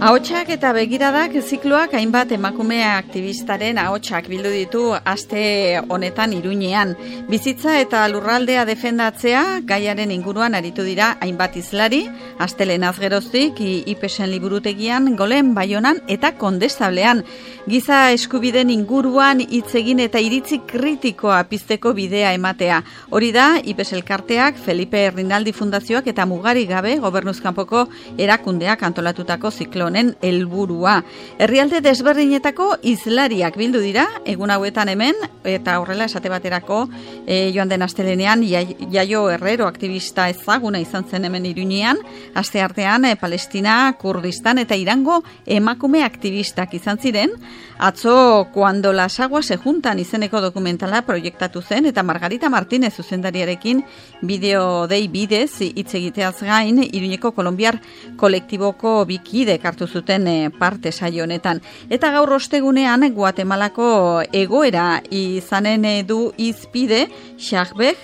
Ahotsak eta begiradak zikloak hainbat emakume aktivistaren ahotsak bildu ditu aste honetan Iruñean. Bizitza eta lurraldea defendatzea gaiaren inguruan aritu dira hainbat hizlari, astelenaz geroztik IPESen liburutegian, Golen, Baionan eta Kondestablean. Giza eskubideen inguruan hitz egin eta iritzi kritikoa pizteko bidea ematea. Hori da IPES elkarteak, Felipe Rinaldi Fundazioak eta Mugarik Gabe gobernuzkanpoko erakundeak antolatutako ziklonen helburua. Herrialde desberdinetako hizlariak bildu dira egun hauetan hemen, eta horrela esate baterako joan den astelenean Jaio Herrero aktivista ezaguna izan zen hemen Iruñean, asteartean Palestina, Kurdistan eta Irango emakume aktivistak izan ziren. Atzo Cuando las aguas se juntan izeneko dokumentala proiektatu zen eta Margarita Martínez zuzendariarekin bideo dei bidez hitz egiteaz gain Iruñeko kolonbiar kolektiboko bikidek hartu zuten parte saio honetan. Eta gaur ostegunean Guatemalako egoera izanen du hizpide Xarbej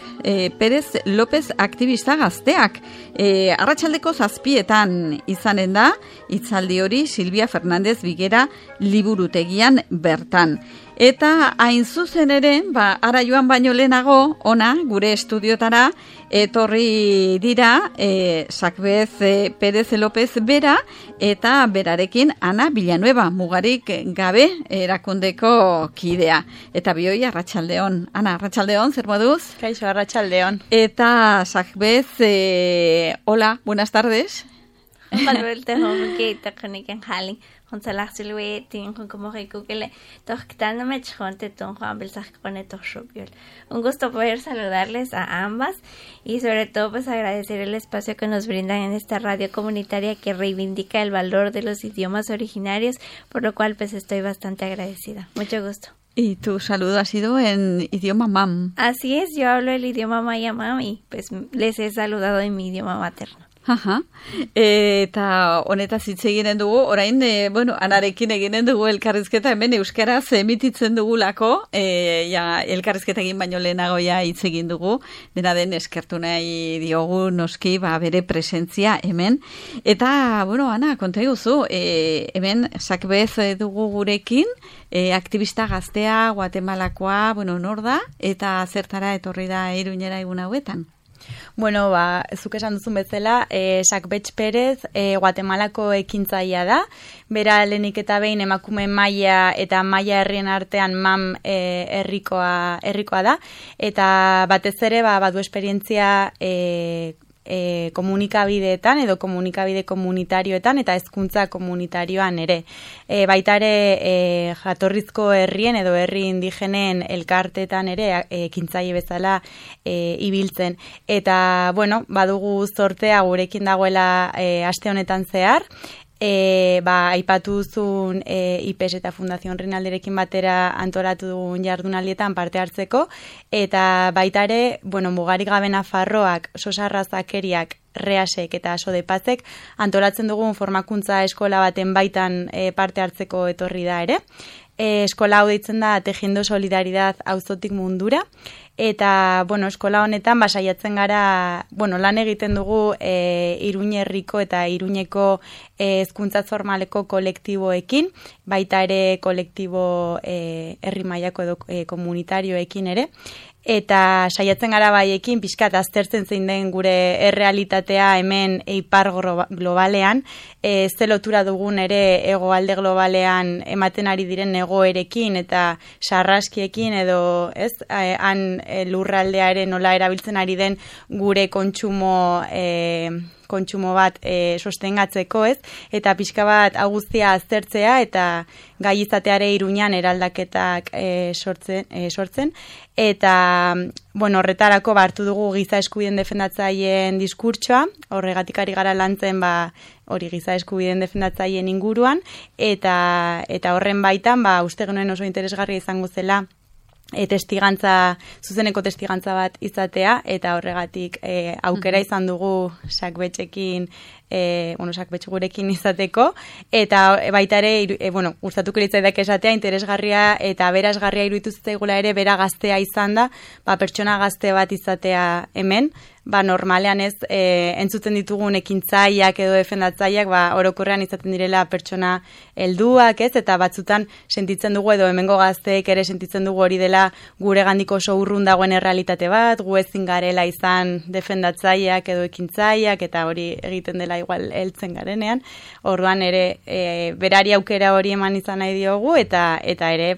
Pérez López aktivista gazteak. Arratsaldeko 7:00 izanen da hitzaldi hori Silvia Fernández Bigera liburutegian bertan. Eta hain zuzen ere, ara joan baino lehenago, ona, gure estudiotara, etorri dira, Sakbez Pérez López bera, eta berarekin Ana Villanueva, Mugarik Gabe erakundeko kidea. Eta bioi, arratsaldeon. Ana, arratsaldeon, zer moduz? Kaixo, arratsaldeon. Eta Sakbez, hola, buenas tardes. Manuelte homke tekniken haling. Honsalach silwe tin como recukele. Tochtana mechonte ton Juan Belsac con Shopyol. Un gusto poder saludarles a ambas y sobre todo pues agradecer el espacio que nos brindan en esta radio comunitaria que reivindica el valor de los idiomas originarios, por lo cual pues estoy bastante agradecida. Mucho gusto. Y tu saludo ha sido en idioma mam. Así es, yo hablo el idioma maya mam y pues les he saludado en mi idioma materno. Aha. Eta honetaz hitz eginen dugu, orain, Anarekin eginen dugu elkarrizketa, hemen euskaraz emititzen dugulako, elkarrizketa egin baino lehenago hitz egin dugu, dena den eskertu nahi diogu noski, bere presentzia hemen. Eta, Ana, konta eguzu, hemen Sakbez dugu gurekin, aktivista gaztea, Guatemalakoa, nor da, eta zertara etorri da Iruñera egun hauetan? Bueno, zuk esan duzun bezala, Sakbez Pérez Guatemalako ekintzailea da. Bera lehenik eta behin emakume maia eta maia herrien artean mam herrikoa da. Eta batez ere badu esperientzia komunikabideetan edo komunikabide komunitarioetan eta hezkuntza komunitarioan ere. Baita ere jatorrizko herrien edo herri indigenen elkarteetan ere ekintzaile bezala ibiltzen. Eta, badugu zortea gurekin dagoela aste honetan zehar. Aipatu duzun IPES eta Fundación Rinaldirekin batera antolatu dugun jardunaldietan parte hartzeko, eta baita ere, Mugarik Gabe Nafarroak, Sosarra Zakeriak, Reasek eta Sodepazek antolatzen dugun formakuntza eskola baten baitan parte hartzeko etorri da ere. Eskola hau deitzen da Tejiendo Solidaridad auzotik mundura, eta, eskola honetan saiatzen gara, lan egiten dugu Iruñerriko eta Iruñeko hezkuntza formaleko kolektiboekin, baita ere kolektibo herri mailako edo komunitarioekin ere, eta saiatzen gara baiekin pixkat aztertzen zein den gure errealitatea hemen ipar globalean, ze lotura dugun ere hegoalde globalean ematen ari diren egoerekin eta sarraskiekin edo han lurraldearen nola erabiltzen ari den gure kontsumo bat sostengatzeko, eta pixka bat guztia aztertzea eta gai izateare Iruñan eraldaketak sortzen. Eta, horretarako hartu dugu giza eskubideen defendatzaileen diskurtsoa, horregatik ari gara lantzen hori giza eskubideen defendatzaileen inguruan, eta horren baitan, uste genuen oso interesgarria izango zela zuzeneko testigantza bat izatea, eta horregatik aukera izan dugu sakbetxekin, sakbetxe gurekin izateko, eta baita ere, gustatuko litzaidak esatea, interesgarria eta berazgarria iruditu zitzaigula ere, bera gaztea izan da, pertsona gazte bat izatea hemen, normalean ez, entzuten ditugun ekintzaileak edo defendatzaileak, orokorrean izaten direla pertsona helduak, ez, eta batzutan sentitzen dugu, edo hemengo gazteek ere sentitzen dugu hori dela gure gandiko oso urrun dagoen errealitate bat, gu ezin garela izan defendatzaileak edo ekintzaileak, eta hori egiten dela igual heltzen garenean, orduan ere berari aukera hori eman izan nahi diogu, eta ere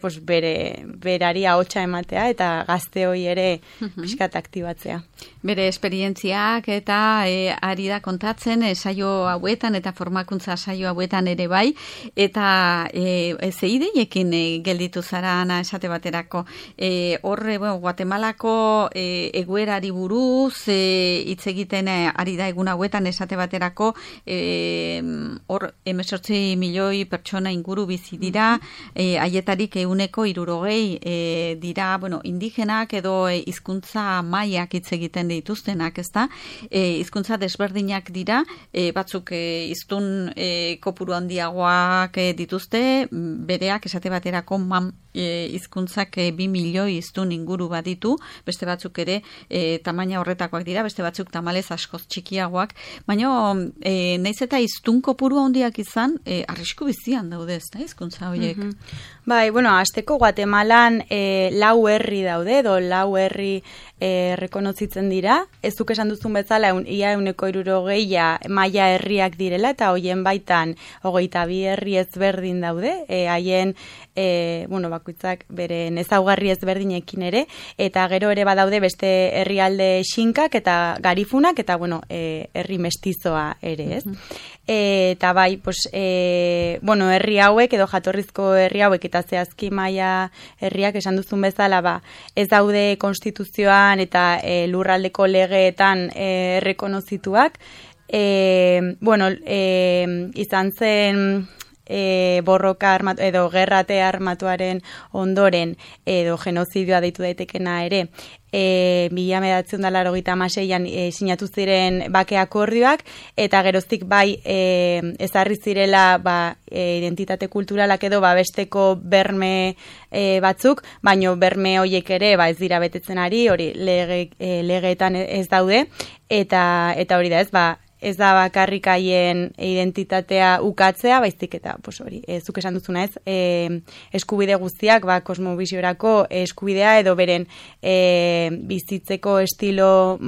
berari ahotsa ematea, eta gazte hori ere pixkat aktibatzea. Bere esperientziak eta ari da kontatzen saio hauetan eta formakuntza saio hauetan ere bai, eta ze ideiekin gelditu zara, Ana, esate baterako. Horre, Guatemalako egoerari buruz hitz egiten ari da egun hauetan esate baterako, hor 18 milioi pertsona inguru bizi dira, haietarik 60% dira, indigenak edo hizkuntza mailak hitz egiten dituztenak, ezta? Hizkuntza desberdinak dira, batzuk hiztun kopuru handiagoak dituzte, bereak esate baterako hizkuntzak 2 milioi hiztun inguru baditu, beste batzuk ere tamaina horretakoak dira, beste batzuk tamalez askoz txikiagoak, baina naiz eta hiztun kopuru handiak izan, arrisku bizian daude, ezta, hizkuntza horiek. Bai, hasteko Guatemalan 4 herri daude, edo 4 herri rekonozitzen dira. Ez duk esan duzun bezala, ia 60% maila herriak direla, eta hoien baitan 22 herri ezberdin daude, haien bakoitzak beren ezaugarri ezberdinekin ere, eta gero ere badaude beste herrialde xinkak eta garifunak, eta herri mestizoa ere, ez? Eta bai, herri hauek edo jatorrizko herri hauek eta zehazki maila herriak esan duzun bezala, ez daude konstituzioan eta lurraldeko legeetan errekonozituak. Izan zen borroka edo gerrate armatuaren ondoren edo genozidioa deitu daitekena ere, 1986an sinatu ziren bake akordioak, eta geroztik bai ezarri zirela identitate kulturalak edo besteko berme batzuk, baino berme horiek ere ez dira betetzen ari, hori legeetan ez daude, eta hori da ez da bakarrik haien identitatea ukatzea, baizik eta hori, zuk esan duzuna ez, eskubide guztiak, kosmobisiorako eskubidea edo beren bizitzeko estilo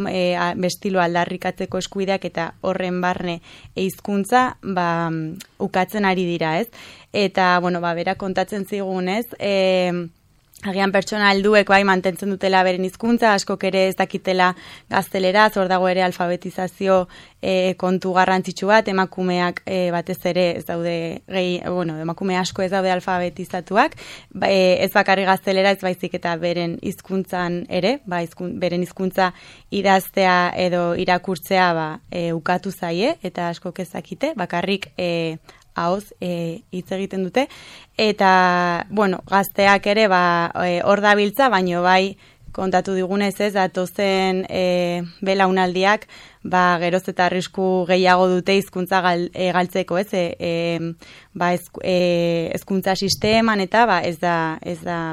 aldarrikatzeko eskubideak eta horren barne hizkuntza ukatzen ari dira, ez? Eta, bera kontatzen zigun, ez, agian pertsona helduek mantentzen dutela beren hizkuntza, askok ere ez dakitela gazteleraz, hor dago ere alfabetizazio kontu garrantzitsu bat, emakumeak batez ere ez daude, emakume asko ez daude alfabetizatuak, ez bakarri gaztelera ez baizik eta beren hizkuntzan ere, beren hizkuntza idaztea edo irakurtzea ukatu zaie, eta askok ez dakite, bakarrik ahoz hitz egiten dute, eta, gazteak ere hor dabiltza, baino bai kontatu digunez ez, datozen belaunaldiak, geroz eta arrisku gehiago dute hizkuntza galtzeko, ez, hezkuntza sisteman eta ez da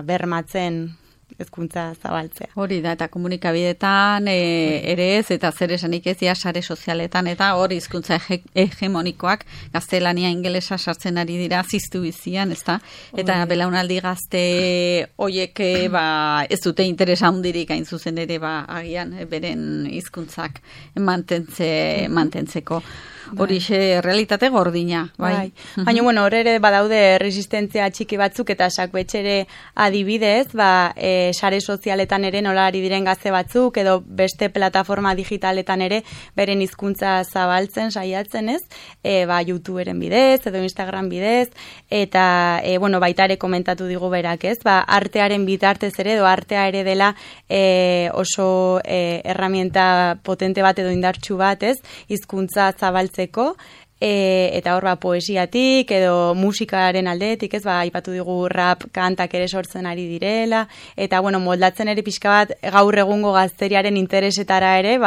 bermatzen hezkuntza zabaltzea. Hori da, eta komunikabidetan ere ez, eta zer esanik ez sare sozialetan, eta hori hizkuntza hegemonikoak gaztelania ingelesa sartzen ari dira ziztu bizian, ezta? Eta belaunaldi gazte hoiek ez dute interesa handirik hain zuzen ere agian beren hizkuntzak mantentzeko. Horixe realitate gordina, bai. Baina, hor ere badaude resistentzia txiki batzuk eta sakbetxere adibidez, sare sozialetan ere nola ari diren gazte batzuk edo beste plataforma digitaletan ere beren hizkuntza zabaltzen, saiatzen ez, YouTuberen bidez edo Instagram bidez, eta baita ere komentatu digu berak ez, artearen bitartez ere edo artea ere dela oso herramienta potente bat edo indartsu bat ez, hizkuntza zabaltzen eta hor poesiatik edo musikaren aldetik, ez, aipatu digu rap kantak ere sortzen ari direla, eta moldatzen ere pixka bat gaur egungo gazteriaren interesetara ere,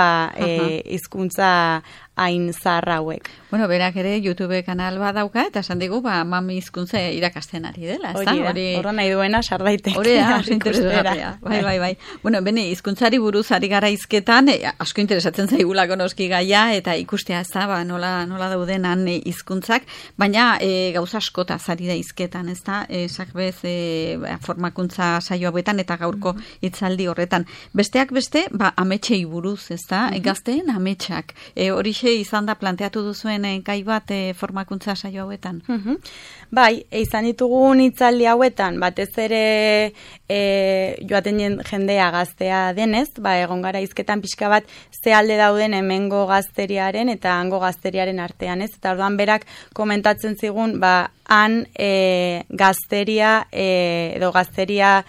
hizkuntza hain zaharra hauek. Berak ere YouTube kanal bat dauka, eta esan digu, mami hizkuntza irakasten ari dela, ez da? Horra nahi duena sardaitek. Horea, interesgarria. Bai. Bene, hizkuntzari buruz ari gara hizketan, asko interesatzen zaigulako noski gaia, eta ikustea, ez da, nola daudenan hizkuntzak, baina gauza askota zari da hizketan, ez da? Sakbez, formakuntza saio hauetan, eta gaurko hitzaldi horretan. Besteak beste, ametsei buruz, ez da? Gazteen ametsak. Horixe izan da planteatu duzuen gai bat formakuntza saio hauetan? Bai, izan ditugun hitzaldi hauetan, batez ere joaten jendea gaztea denez, egon gara hizketan pixka bat ze alde dauden hemengo gazteriaren eta hango gazteriaren artean, ez? Eta orduan berak komentatzen zigun, han gazteria edo gazteria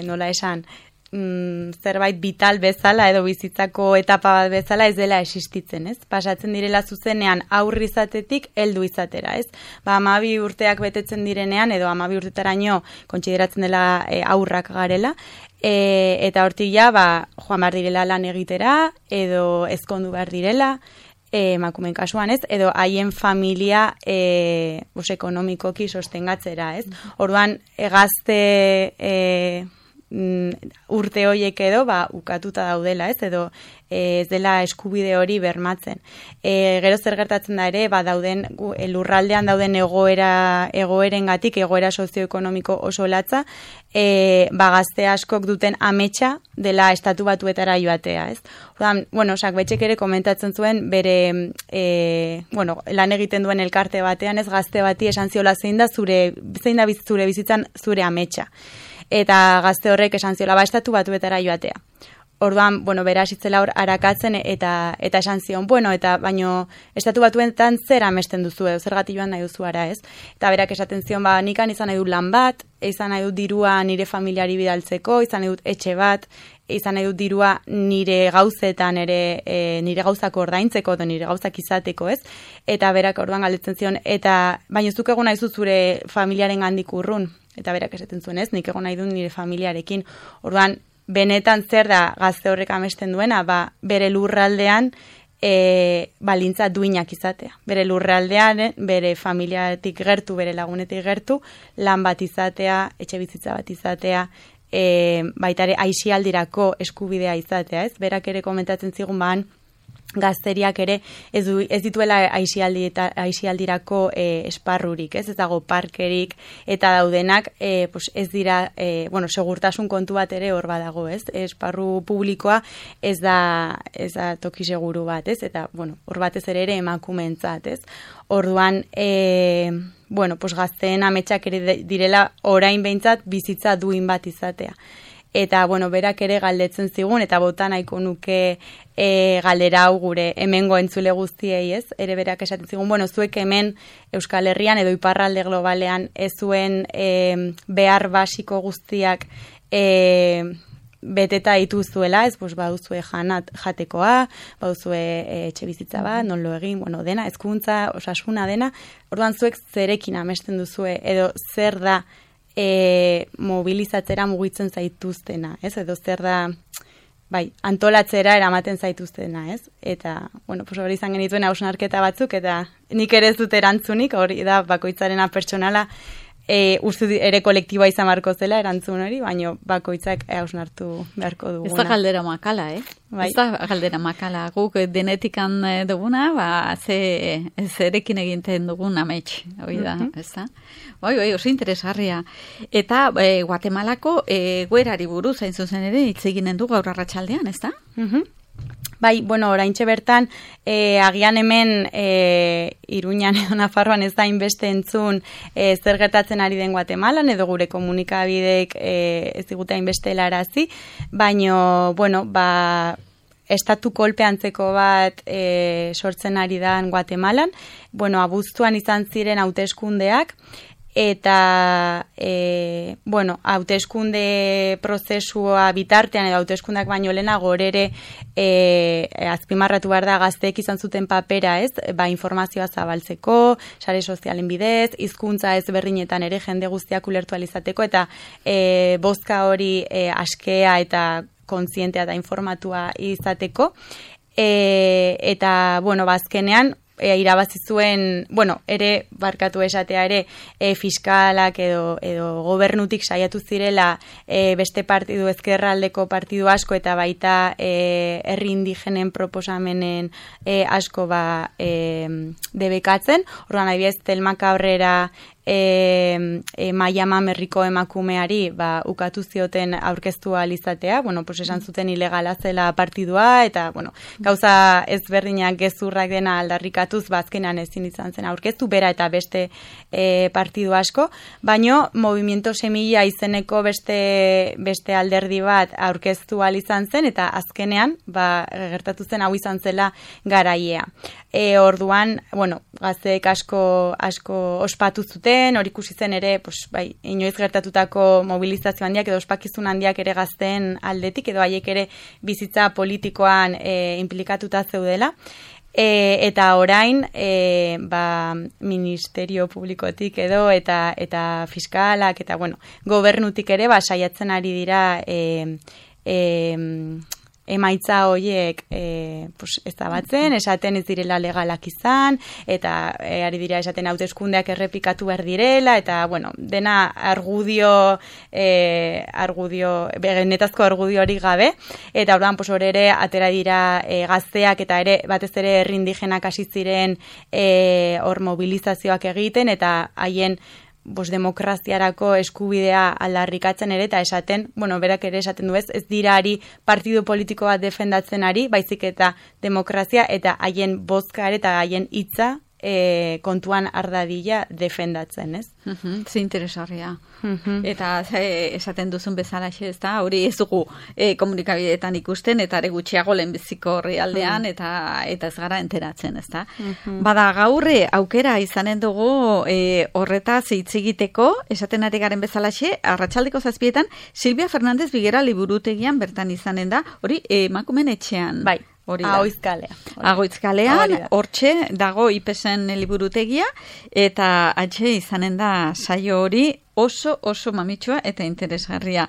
nola esan, zerbait vital bezala edo bizitzako etapa bat bezala ez dela existitzen, ez? Pasatzen direla zuzenean aurri izatetik heldu izatera, ez? 12 urteak betetzen direnean edo 12 urtetaraino kontsideratzen dela aurrak garela, eta hortik joan behar direla lan egitera edo ezkondu behar direla, emakumeen kasuan, ez? Edo haien familia ekonomikoki sostengatzera, ez? Orduan gazte urte horiek edo ukatuta daudela, ez? Edo ez dela eskubide hori bermatzen. Gero zer gertatzen da ere, dauden lurraldean dauden egoerengatik, egoera sozioekonomiko oso latza, gazte askok duten ametsa dela estatu batuetara joatea, ez? Orduan, Sakbetxek ere komentatzen zuen bere lan egiten duen elkarte batean, ez, gazte bati esan ziola zein da zure bizitzan zure ametsa. Eta gazte horrek esan ziola estatu batuetara joatea. Orduan, bera hasitzela hor arakatzen eta esan zion, baino estatu batuetan zer amesten duzu edo zergatik joan nahi duzu ara, ez? Eta berak esaten zion, nikan izan nahi dut lan bat, izan nahi dut dirua nire familiari bidaltzeko, izan nahi dut etxe bat, izan nahi dut dirua nire gauzetan ere, nire gauzak ordaintzeko edo nire gauzak izateko, ez? Eta berak orduan galdetzen zion, eta baino zuk egon nahi zu zure familiaren gandik urrun. Eta berak esaten zuen, ez, nik egon nahi dut nire familiarekin. Orduan, benetan zer da gazte horrek amesten duena, bere lurraldean balintza duinak izatea. Bere lurraldean, bere familiatik gertu, bere lagunetik gertu, lan bat izatea, etxe bizitza bat izatea, baita ere aisialdirako eskubidea izatea, ez? Berak ere komentatzen zigun gazteriak ere ez dituela aisialdirako esparrurik, ez dago parkerik, eta daudenak ez dira, segurtasun kontu bat ere hor badago, ez? Esparru publikoa ez da toki seguru bat, ez? Eta, hor batez ere emakumeentzat, ez? Orduan, gazteen ametsak ere direla orain behintzat bizitza duin bat izatea. Eta, berak ere galdetzen zigun, eta bota nahiko nuke galdera hau gure hemengo entzule guztiei, ez? Ere berak esaten zigun, zuek hemen Euskal Herrian edo iparralde globalean ez zuen behar basiko guztiak beteta dituzuela, ez? Baduzue jatekoa, baduzue etxe bizitza bat, non lo egin, dena, hezkuntza, osasuna dena, orduan zuek zerekin amesten duzue, edo zer da mobilizatzera mugitzen zaituztena, ez? Edo zer da, antolatzera eramaten zaituztena, ez? Eta, hori izan genituen hausnarketa batzuk, eta nik ere ez dut erantzunik, hori da bakoitzarena pertsonala, uste ere kolektiboa izan marko zela erantzun hori, baina bakoitzak hausnartu beharko duguna. Ez da galdera makala, Ez da galdera makala. Guk denetikan duguna, zerekin egiten dugun amets, hori da, ez da? Oso interesgarria. Eta Guatemalako egoerari buruz, hain zuzen ere, hitz eginen du gaur arratsaldean, ez da? Oraintxe bertan, agian hemen Iruñan edo Nafarroan ez da inbeste entzun zer gertatzen ari den Guatemalan, edo gure komunikabideek ez digute inbeste helarazi, baino, estatu kolpe antzeko bat sortzen ari da Guatemalan, abuztuan izan ziren hauteskundeak, eta hauteskunde prozesua bitartean edo hauteskundak baino lehenago ere azpimarratu behar da gazteek izan zuten papera, ez? Informazioa zabaltzeko, sare sozialen bidez, hizkuntza ezberdinetan ere jende guztiak ulertu ahal izateko eta bozka hori askea eta kontzientea eta informatua izateko. Eta, azkenean, irabazi zuen, ere, barkatu esatea ere, fiskalak edo gobernutik saiatu zirela beste partidu, ezkerraldeko partidu asko eta baita herri indigenen proposamenen asko debekatzen. Orduan, adibidez, Telma Cabrera Maia Mamerriko emakumeari ukatu zioten aurkeztu ahal izatea, esan zuten ilegala zela partidua, eta, gauza ezberdinak gezurrak dena aldarrikatuz, azkenan ezin izan zen aurkeztu, bera eta beste partidu asko, baino, Movimiento Semilla izeneko beste alderdi bat aurkeztu ahal izan zen, eta azkenean, gertatu zen hau izan zela garaiea. Orduan, gazteek asko ospatu zuten, hori ikusi zen ere, inoiz gertatutako mobilizazio handiak edo ospakizun handiak ere gazteen aldetik, edo haiek ere bizitza politikoan implikatuta zeudela. Eta orain, ministerio publikotik edo, eta fiskalak, eta gobernutik ere, saiatzen ari dira emaitza horiek ezabatzen, esaten ez direla legalak izan, eta ari dira esaten hauteskundeak errepikatu behar direla, eta, dena benetazko argudio hori gabe, eta orduan, hor ere, atera dira gazteak, eta ere, batez ere herri indigenak hasi ziren hor mobilizazioak egiten, eta haien demokraziarako eskubidea aldarrikatzen ere, eta esaten, berak ere esaten du ez dira ari partidu politiko bat defendatzen ari, baizik eta demokrazia eta haien bozka ere eta haien hitza kontuan ardadila defendatzen, ez? Ze interesgarria. Eta esaten duzun bezala ez da, hori ez dugu komunikabideetan ikusten, eta ere gutxiago lehenbiziko horri aldean, eta ez gara enteratzen, ez da. Bada gaurre aukera izanen dugu horretaz hitz egiteko, esaten ari garen bezalaxe, arratsaldeko 7:00 Silvia Fernández Bigera liburutegian bertan izanen da, hori emakumeen etxean. Bai. Agoizkalean, hortxe dago IPESen liburutegia, eta atxe izanen da saio hori oso mamitsua eta interesgarria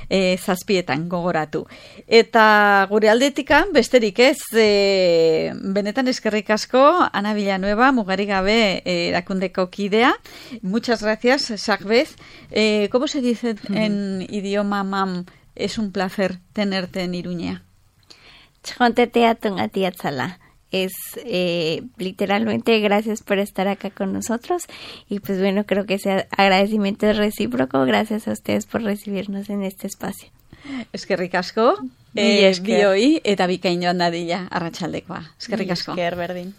7:00 gogoratu. Eta gure aldetikan, besterik ez, benetan eskerrik asko, Ana Villanueva, mugarik gabe erakundeko kidea. Muchas gracias, Sagbez. ¿Cómo se dice en idioma mam? Es un placer tenerte en Iruña. Es literalmente gracias por estar acá con nosotros y pues creo que ese agradecimiento es recíproco. Gracias a ustedes por recibirnos en este espacio. Eskerrik asko, bioi eta bikain joan dadila arratsaldekoa. Eskerrik asko. Esker berdin.